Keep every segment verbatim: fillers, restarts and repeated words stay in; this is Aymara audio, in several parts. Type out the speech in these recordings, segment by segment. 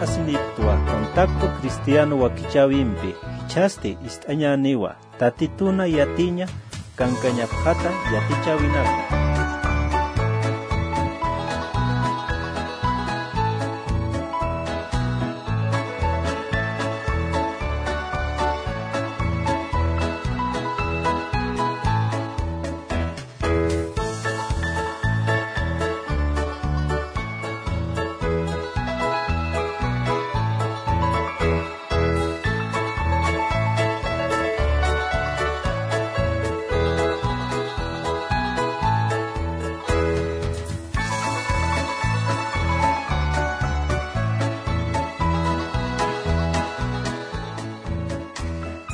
Asiniptwa Contacto Cristiano wakichäwimpi, jichhasti ist'añäniwa, Tatituna yatiña kankañapxata yatichäwinaka.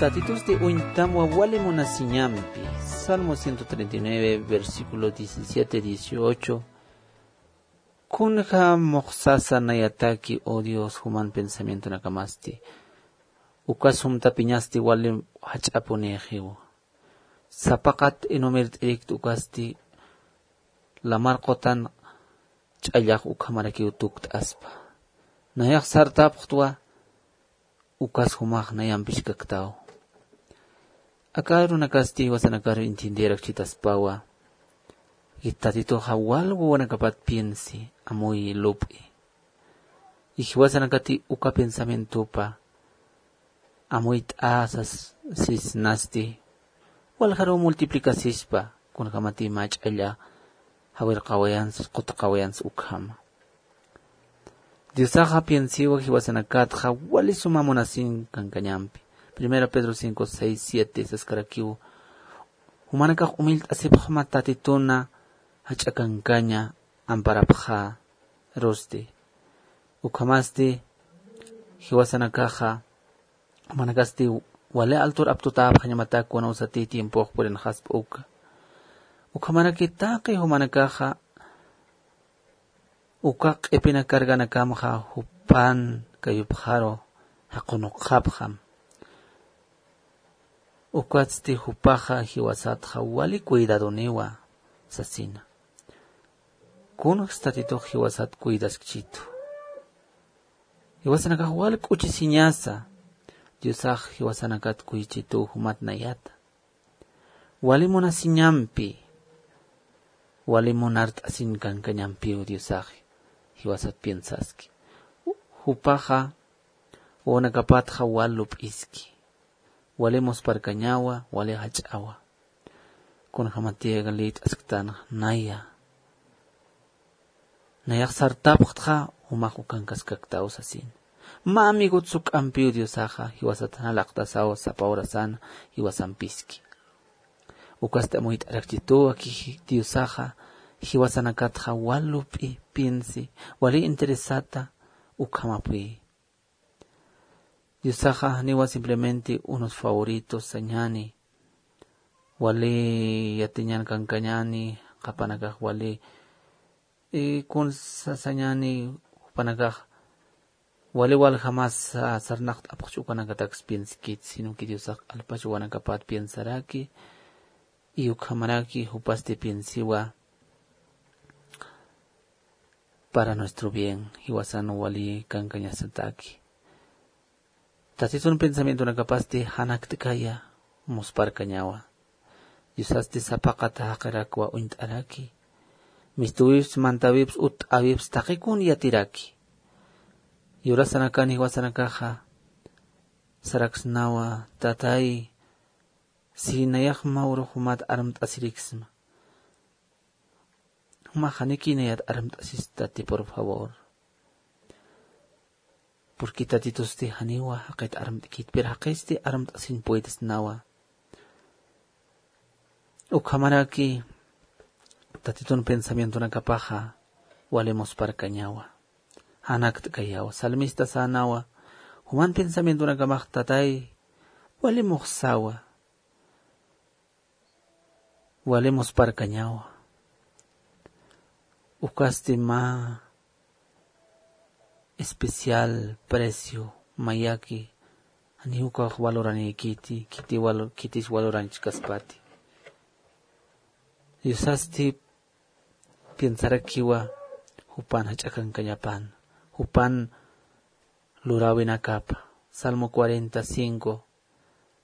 Tatitusti uñtamwa wali munasiñampi. Salmo ciento treinta y nueve, versículo diecisiete, dieciocho. Kunja muxsasa nayataki, oh Dios, juman pensamientonakamasti. Uka sumtapiñasti wali jach'apunïxiw. Sapaqat inumirt'irikta ukasti, lamar qutan ch'allax ukhamarakiw tukt'aspa. Nayax sartapxtwa, ukas jumax nayamp jiskaktaw. Aka arunakasti jiwasanakaru entienderakchitaspawa. Tatituxa wal wawanakapat piensi, amuy lup'i. Jiwasanakati uka pensamientopa amuyt'asas sisnasti, waljaruw multiplicasispa, kunjamati mä ch'alla jawirqawayansa, qutqawayansa ukhama. Diosaxa piensiwa jiwasanakatxa wali suma munasin kankañampi. Primera Pedro cinco, seis, siete saskarakiw, jumanakax umillt'asipxma Tatituna jach'a kankaña amparapxarusti. Ukhamasti jiwasanakaxa, jumanakasti wali altur aptutäpxañamatak kunawsati tiempox purinxaspa uka. Ukhamaraki taqi jumanakaxa, uka q'ipina carganakamxa jupan kayupxaru jaqunuqxapxam. Ukatsti jupaxa jiwasatxa wali cuidadoniwa sasina. Kunjs Tatitux jiwasat cuidaskchitu. Jiwasanakax wal k'uchisiñasa, Diosax jiwasanakat kuychitu jumat nayata. Wali munasiñampi, wali munart'asin kankañampiw Diosax jiwasat piensaski. Jupaxa wawanakapatxa wal lup'iski. Wali musparkañawa, wali jach'awa. Kunjamatiya liyt'asktan naya. Nayax sartapxtxa, jumax ukankaskaktaw sasin. Mä amigot suk'ampiw Diosaxa, jiwasat jan alaqtasaw sapa horasan, jiwasampiski. Ukasti amuyt'arakchituw, aki Diosaxa, jiwasanakatxa wal lup'i, piensi, wali interesata, ukhamapuy. Diosaxa janiwa simplemente unos favoritos sañäni, wali yatiñan kankañäni, qhapanakax wali, eh, kun sa-, sañäni, jupanakax wali waljamas sa-, sarnaqt'apxchu ukanakataks pienskit, sino que Diosax q'alpach wawanakapat piensaraki, y ukhamaraki jupasti piensiwa, para nuestro bien, jiwasan wali kankañasataki. Tatitun pensamientonakapasti janakt'kaya, musparkañawa. Diosasti sapaqata jaqirakwa uñt'araki. Mistuwips, mantawips, utt'awips taqikun yatiraki. Yurasanakan jiwasanakaxa saraksnawa, Tatay, si nayax mä urux jumat armt'asiriksma, jumax janiki nayat armt'asistati, por favor. Porque Tatitusti janiwa jaqit armt'kit, pero jaqisti armt'asiñ puedesnawa. Ukhamaraki Tatitun pensamientonakapaxa wali musparkañawa. Janakt'kayawa. Salmista sänawa, juman pensamientonakamax Tatay wali muxsawa. Wali musparkañawa. Ukasti mä especial precio mayaki, janiw ukax valoranïkiti, khiti valo-, khitis valoranchkaspati. Diosasti piensarakiwa jupan jach'a kankañapan, jupan luräwinakapa. Salmo cuarenta cinco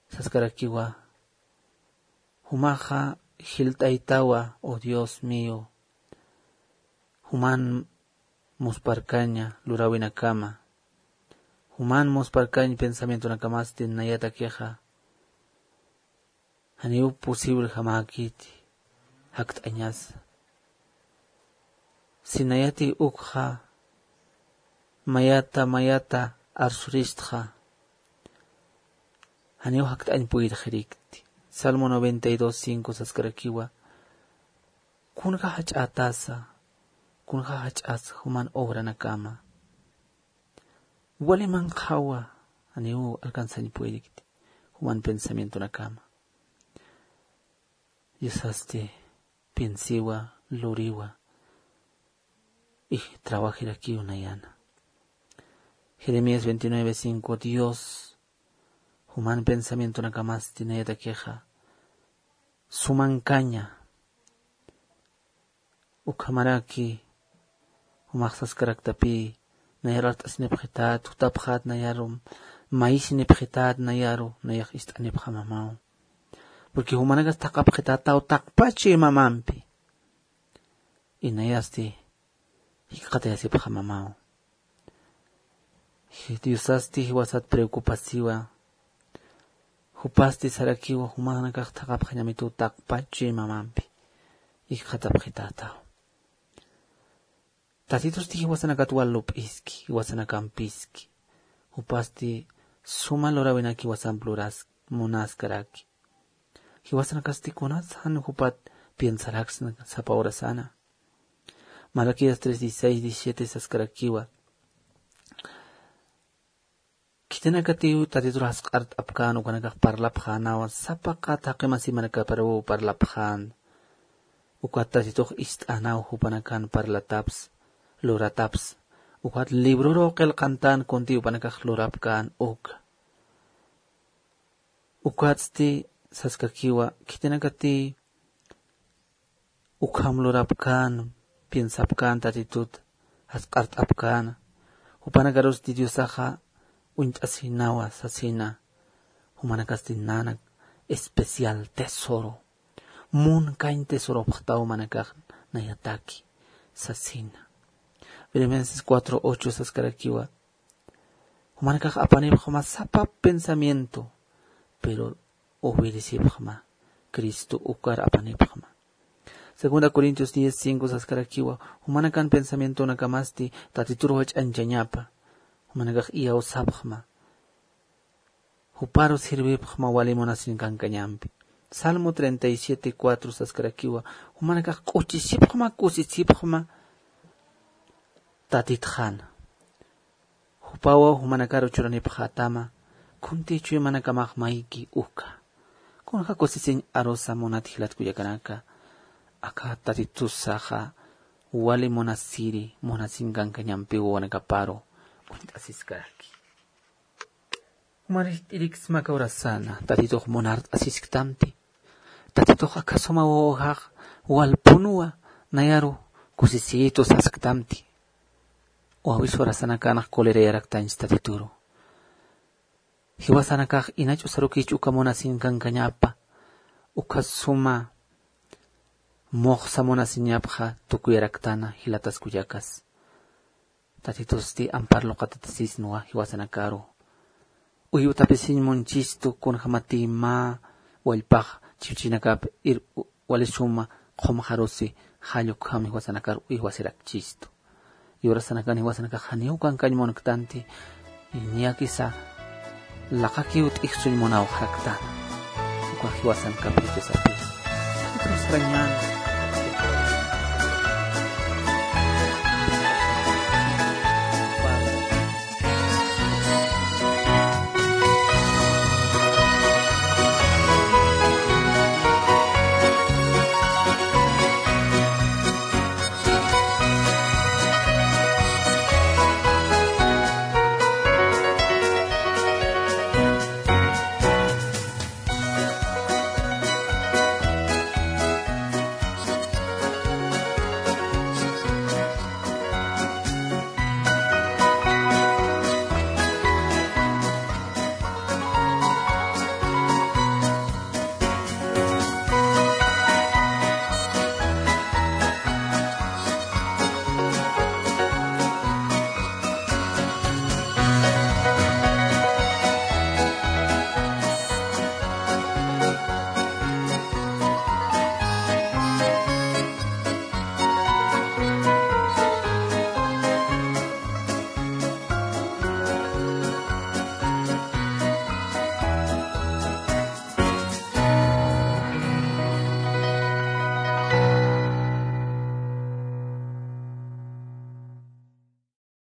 saskarakiwa: Jumaxa jilt'aytawa, oh Dios mío, juman musparkaña luräwinakama, juman musparkañ pensamientonakamastin nayatakixa. Janiw posible jamäkiti jakt'añasa. Si nayati ukxa mayata mayata arsuristxa, janiw jakt'añ puyirxirikti. Salmo noventa y dos cinco saskarakiwa: Kunja jach'ätasa, kunja jach'asa juman obranakama. Wali manqhawa, janiw alcanzañ puyirikti juman pensamientonakama. Diosasti piensiwa, luriwa, y trabajirakiw nayana. Jeremías veintinueve cinco: Dios juman pensamientonakamasti nayatakixa sumankaña. Ukhamaraki jumax saskaraktapï, nayaru art'asinipxitat, jutapxat nayaru, mayisinipxitat nayaru, nayax ist'anipxamamaw. Porque jumanakas thaqhapxitataw taqpachi mamampi. Y nayasti jikxatayasipxamamaw. Diosasti jiwasat preocupasiwa. Jupasti sarakiwa, jumanakax thaqhapxañamituw taqpachi mamampi. Jikxatapxitataw. Tatitusti jiwasanakat wal lup'iski, jiwasanakampiski. Jupasti suma luräwinaki jiwasamp luras, munaskaraki. Jiwasanakasti kunats jan jupat piensaraksna sapa urasana. Malaquías tres dieciséis, diecisiete saskarakiwa: Khitinakatiw Tatitur jasq'art'apkän ukanakax parlapxänawa, sapa qat jaqi masimanakaparuw parlapxän. Ukat Tatitux ist'änaw jupanakan parlatapsa, luratapsa. Ukat libruruw qillqantän kuntï jupanakax lurapkän uka. Ukatsti saskakiwa, khitinakatï ukham lurapkän, piensapkän Tatitut, jasq'art'apkän, jupanakarusti Diosaxa uñt'asinawa sasina, jumanakasti nanak especial tesoro, munkañ tesoropxtaw jumanakax nayataki sasina. Filipenses cuatro ocho saskarakiwa, jumanakax apanipxma sapa pensamiento, pero obedecipxma, Cristo ukar apanipxma. Segunda Corintios diez cinco saskarakiwa, jumanakan pensamientonakamasti Tatitur jach'añchañapa, jumanakax iyawsapxma, juparu sirvipxma wali munasinkankañampi. Salmo treinta y siete cuatro saskarakiwa, jumanakax k'uchisipxma, kusisipxma Tatitxan. Jupawa jumanakaru churanipxätama, kuntï chuy manakamax mayki uka. Kunja kusisiñ arusa munat jilat kullakanaka, aka Tatitusaxa wali munasiri, munasinkankañampi wawanakaparu uñt'asiskaraki. Jumarït'iriksma aka urasana, Tatitux munart'asisktamti. Tatitux aka suma wawajax walpunwa nayaru kusisiyitu sasktamti. Wawis urasanakanx colerayaraktañs Tatituru. Jiwasanakax inach'usarukich uka munasinkankañapa, uka suma muxsa munasiñapxa tukuyaraktana jilatas kullakas. Tatitusti ampar luqatatasisnwa jiwasanakaru. Uywatapisiñ munchistu kunjämatï mä wallpax chiwchinakap ir wali suma qhumxarusi jall ukham jiwasanakar uywasirakchistu. Yurasanakan jiwasanakax janiw kankañ munktanti, niyakisa laqakiw t'ijsuñ munawxaraktan. Uka jiwasanakapï Diosapï. Sarañan.